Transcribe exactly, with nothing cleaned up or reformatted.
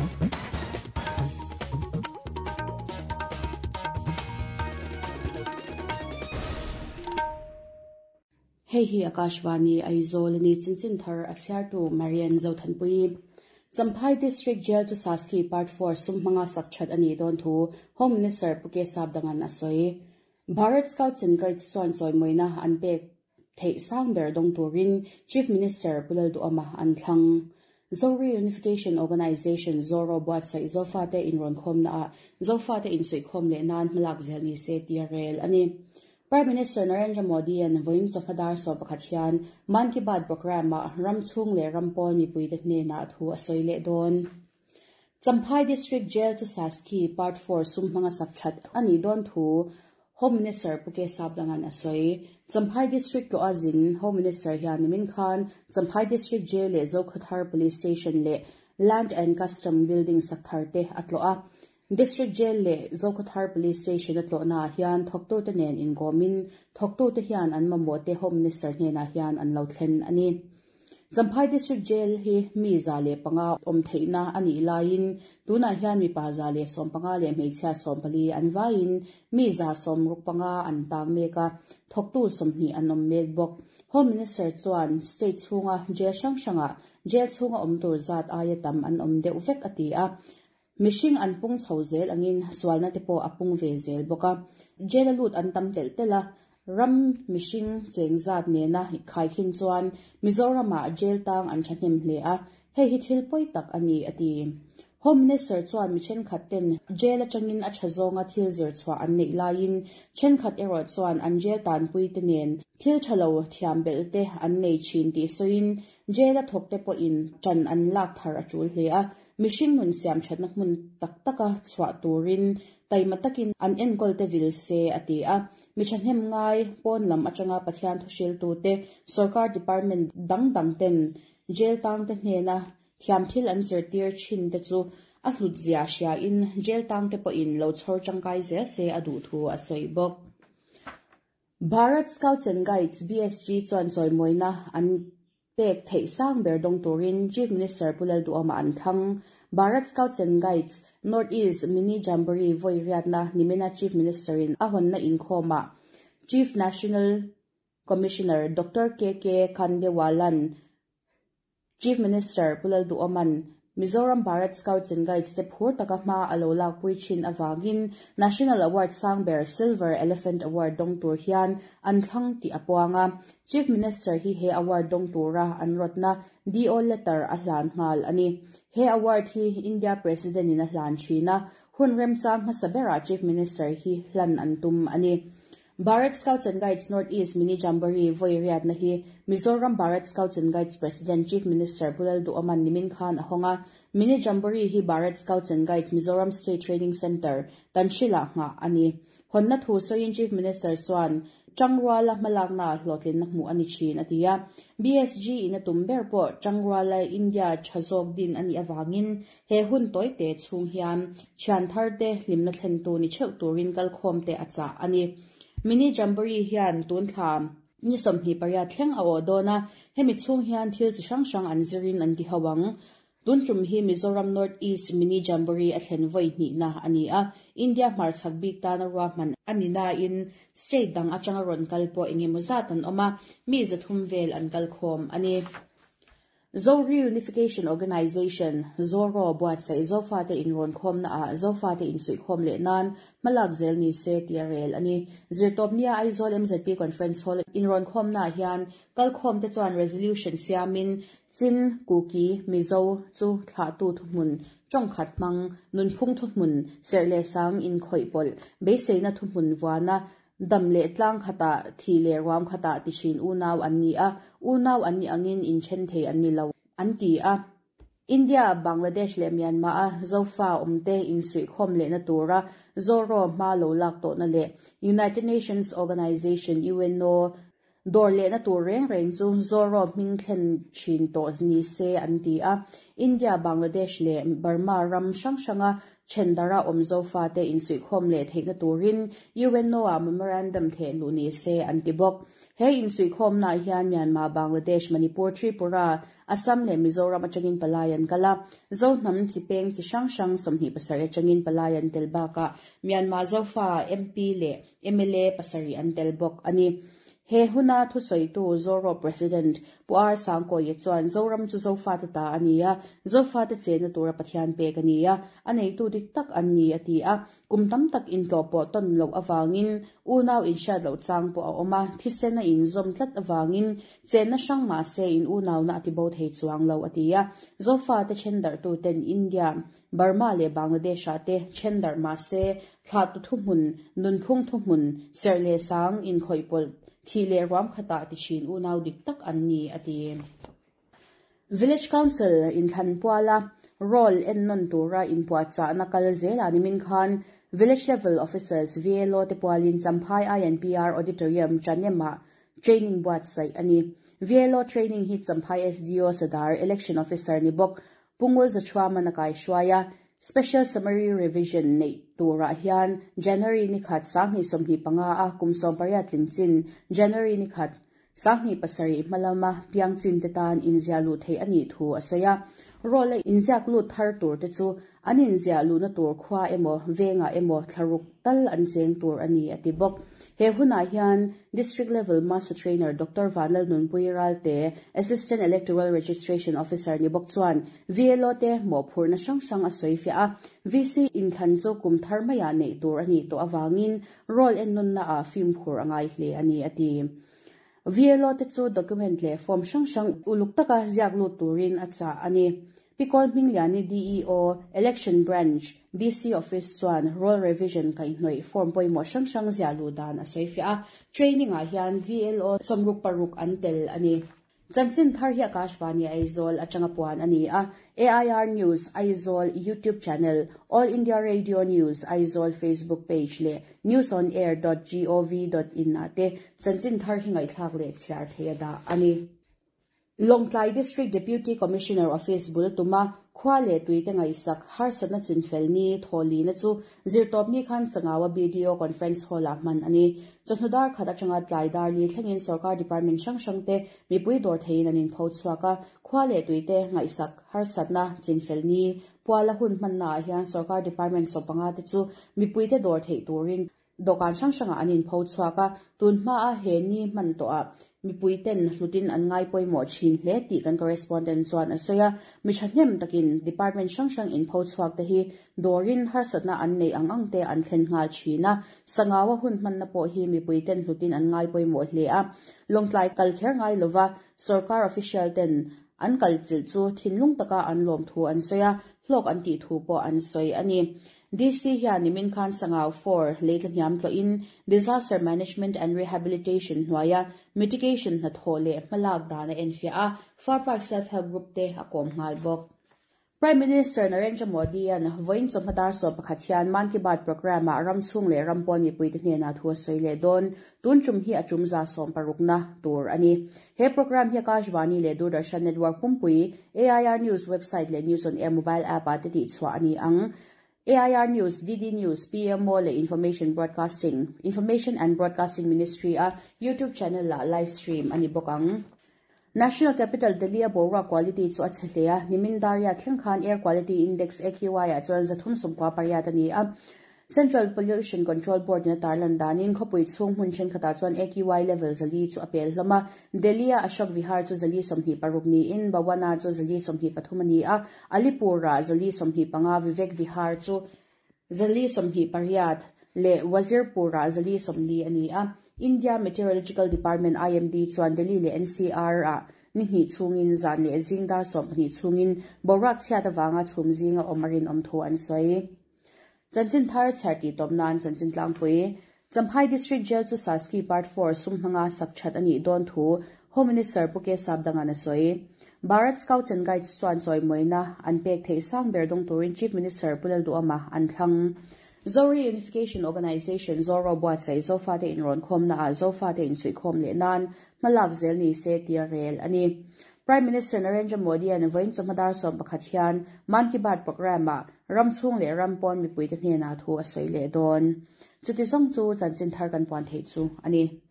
Hei hi Akashvani Aizawl ni chinchin thar a chhiartu Marian Zothanpui. Champhai District Jail chu Saski Part four sum hmanga sak that ani dawn thu Home Minister Puke Sapdangan a sawi. Bharat Scouts and Guides chuan chawimoina an pek theih sang ber dawng turin Chief Minister Pulal Duama an thlang. Zori Unification Organization Zoro buatsaih Zofate inrawn khawmna ah Zofate insuihkhawm leh nan hmalak zel ni se tia rel ani. Prime Minister Narendra Modi an voin chawhmadar saw pakhat hian Mann Ki Baat program ah ram chhung leh ram pawn mipui te hnenah thu a sawi leh dawn. Champhai District Jail chu Saski Part four sum hmanga sak that ani dawn thu Home Minister Puke Sapdangan a sawi. Champhai District to azin Home Minister hian nimin khan Champhai District Jail leh Zokhawthar Police Station leh Land and Custom Building sak thar te a tlawh a. District Jail leh Zokhawthar Police Station a tlawh na hian thawktu te nen ingomin thawktu te hian an mamawh te Home Minister hnenah hian an lo thlen ani. Champhai District Jail hi mi za leh panga awm theihna ani laiin tunah hian mi pa za leh sawm panga leh hmeichhia sawm pali an vaiin mi za sawm ruk panga an tang mek a, thawktu sawmhnih an awm mek bawk. Home Minister chuan state chhunga jail hrang hranga jail chhunga awm tur zat aia tam an awm deuh vek a ti a. Mihring an pung chho zel angin sualna te pawh a pung ve zel bawk a. Jail a lut an tam telh telh a, ram mihring cheng zat nena khai khin chuan Mizoramah jail tang an thahnem hle a, hei hi thil pawi tak ani a ti. Home Minister chuan mi thenkhat ten jail atangin a tha zawnga thil zir chhuah an neih laiin thenkhat erawh chuan an jail tanpui te nen thil thalo thiam bel te an nei thin tih sawiin jail a thawk te pawhin tan an lak thar a tul hle a. Mihring nun siam thatna hmun tak taka chhuah turin taima takin an enkawl te vil se a ti a. Mi thahnem ngai pawn lam atanga Pathian thu hriltu te sarkar department dang dang ten jail tang te hnena thiam thil an zirtir thin te chu a hlut zia hria in jail tang te pawhin lo chhawr tangkai zel se a duh thu a sawi bawk. Bharat Scouts and Guides B S G chuan chawimoina an pek theih sang ber dawng turin Chief Minister Pulal Duama an thlang. Bharat Scouts and Guides North East Mini Jamboree voi riatna nimina Chief Minister in a hawnna inkhawmah Chief National Commissioner Doctor K K Khandewalan Chief Minister Pulal Duaman Mizoram Bharat Scouts and Guides te phur taka hma a lo lak pui thin awangin National Award sang ber Silver Elephant Award dawng tur hian an thlang ti a puanga. Chief Minister hi he award dawng tura an rawtna D O letter a hlan nghal ani. He award hi India President in a hlan thina hun remchang hmasa bera Chief Minister hi hlan an tum ani. Bharat Scouts and Guides North East Mini Jamboree voi riatna hi Mizoram Bharat Scouts and Guides President Chief Minister Pulal Duaman nimin khan a hawnga. Mini Jamboree hi Bharat Scouts and Guides Mizoram State Training Center Tanshila nga ani. Honna thu sawiin Chief Minister chuan Changruala hmalakna hlawhtlin na hmuh ani thin a ti a. B S G in a tum ber pawh Changruala India thazawk din ani awangin he hun tawi te chhung hian thian thar te hlimna thlen tu ni theuh turin kalkhawm te a chah ani. Mini Jamboree hian tun thla ni sawmhnih pariat thleng a aw dawn a, hemi chhung hian thil chi hrang hrang an zirin an ti hoang. Tun tum hi Mizoram North East Mini Jamboree a thlen voi hnihna ani a. India hmarchhak bik tana ruahman ani na in state dang atanga rawn kal pawh engemaw zat an awm a, mi zathum vel an kal khawm ani. Zori Unification Organization Zoro buatsaih Zofate inrawn khawmna ah Zofate insuihkhawm leh nan hmalak zel ni se tia rel ani. Zirtawpnia Aizawl M Z P Conference Hall inrawn khawmna hian kalkhawm te chuan resolution siamin Chin Kuki Mizo chu thlahtu thuhmun tawngkhat hmang nunphung thuhmun serh leh sang inkhawih pawlh beiseina thuhmun vuana dam leh tlang khata thi leh ruam khata ti thin unau an ni a, unau an ni angin inthen thei an ni lo an ti a. India, Bangladesh leh Myanmar a Zofa awmte insuihkhawm leh na tura Zoro hma lo lak tawhna leh United Nations Organization U N O dawr leh na tur reng reng chu Zoro hming thlen thin tawh ni se an ti a. India, Bangladesh leh Burma ram hrang hranga thendara awm Zofa te insuihkhawm leh theihna turin U N O a memorandum theh luh ni se an ti bawk. He in sui khom na hian Myanmar, Bangladesh, Manipur, Tripura, Assam le Mizoram atangin palayan kala Zohnam chipeng chi hrang hrang sawmhnih pasarih atangin palayan tel bakah Myanmar Zofa M P le M L A pasarih an tel bawk ani. He huna thusawitu Zoro President Puar Sangko ye chuan Zoram chu Zofa te ta ania Zofa te chena tura Pathian pek ania anei tu dik tak an ni ati a kum tam tak in tlo pawh ton lo awangin unaw in hriat lo chang pawh a awm a thisena in zawm tlat awangin chenna hrang mah se in unaw na ati bo thei chuang lo ati a Zofa te then darh tu ten India Burma le Bangladesh ah te then darh mah se thla tu thu hmun nunphung thu hmun serh leh sang in khawih pawlh thi le ruam khata ti thin unaw dik tak an ni ati. Village Council in Thlanpuala roll en non tura in puacha na kal zela nimin khan Village Level Officers V L O te pualin Champhai I N P R Auditorium Chanema training buat sai ani. V L O training hi Champhai S D O Sadar Election Officer ni bok Pungul Zachwa manakai shwaya Special Summary Revision nei tura hian January ni khat sangni somni panga a kumsom pariat lingchin January ni khat sangni pasari malama piangchin te tan inzia lu thei ani thu asaya role inziak lu thar tur te chu anin zia lu na tur khwa emo venga emo tharuk tal an cheng tur ani ati bok. He huna hian District Level Master Trainer Doctor Vanlal Nunpui Ralte Assistant Electoral Registration Officer ni bok chuan V L O te mo phurna hrang hrang a sawi fia a V C in thlan chu kum thar maya nei tur ani to awangin roll en nun na a film khur angai hle ani ati. V L O te chu document le form hrang hrang uluk taka ziak lu turin a cha ani. Pikol Mingliani D E O Election Branch D C Office chuan Roll Revision kai hnoi form pawimawh hrang hrang zia lu dan a sawi fia a training ah hian V L O sawmruk paruk an tel ani. Chanchin thar hi Akashvani Aizawl atanga puan ani a A I R News Aizawl YouTube channel, All India Radio News Aizawl Facebook page le news on air dot gov dot in ate chanchin thar hi ngaithlak le chhiar theia da ani. Longtlai District Deputy Commissioner Office bul tuma khwa le tuite ngai sak har sana chinfel ni tholi na chu zirtop ni khan sangawa B D O conference hall a man ani chhnudar khata changa tlaidar ni thlengin sarkar department hrang hrang te mipui dor thein anin pho chuaka khwa le tuite ngai sak har satna chinfel ni puala hun man na hian sarkar department sopanga te chu mipui te dor thei turin dokan hrang hranga anin pho chuaka tunhma a he ni man to a mipui ten hlutin an ngai pawimawh thin hle tih kan correspondent chuan a sawi a mi thahnem takin department hrang hrang in pho chhuak te hi dawrin harsatna an nei ang ang te an thlen nghal thin a sangawa hun hmanna pawh hi mipui ten hlutin an ngai pawimawh hle a lawngtlai kal kher ngai lova sarkar official ten an kal chil chu thinlung taka an lawm thu an sawi a hlawk an tih thu pawh an sawi ani. D C hian nimin khan Sangau four leitla hniam tlo in Disaster Management and Rehabilitation hnuaia mitigation hna thaw leh hmalak dan a enfia a Far Park Self Help Group te a kawm nghal bawk. Prime Minister Narendra Modi an vawiin chawhma sawm pakhat hian Mann Ki Baat program ah ram chhung leh ram pawn mipui te hnenah thu a sawi leh dawn tun tum hi a tum za sawm parukna tur ani. He program hi Akashvani leh Doordarshan Network pumpui A I R News website leh News on Air mobile app ah te tih chhuah ani ang. A I R News, D D News, P M O le Information Broadcasting, Information and Broadcasting Ministry a YouTube channel la live stream ani bawk ang. National Capital Delhi a boruak quality chu a che hle a nimin daria thleng khan Air Quality Index A Q I ah chuan zathum sawmkua pariat ani a Central Pollution Control Board na tarlan danin khawpui chhung hmun thenkhatah chuan A Q I level zali chu a pel hlawm a Delhi a Ashok Vihar chu zali sawmhnih paruk niin Bawana chu zali sawmhnih pathum ani a Alipur ah zali sawmhnih panga Vivek Vihar chu zali sawmhnih pariat le Wazirpur ah zali sawmli ani a India Meteorological Department I M D chuan Delhi le N C R ah ni hnih chungin zan leh zingdar sawmhnih chungin boruak chhiat awanga chhum zinga awm a rinawm thu an sawi. Chanchin thar chharti tawp nan chanchin tlangpui Champhai District Jail chu Saski Part four sum hmanga sak that ani dawn thu Home Minister Puke Sapdangan a sawi. Bharat Scouts and Guides chuan chawi moina an pek thei sang ber dawng turin Chief Minister Pulal Duama an thlang. Zori Unification Organization Zoro buatsaih Zofa te in rawn khawm na ah Zofa te in suih khawm leh nan hmalak zel ni se tia rel ani. Prime Minister Narendra Modi an vawiin chawhma sawm pakhat hian Mann Ki Baat program ah ram chhung leh ram pawn mipui te hnenah thu a sawi leh dawn. Chuti zawng chu chanchin thar kan puan thei chu ani.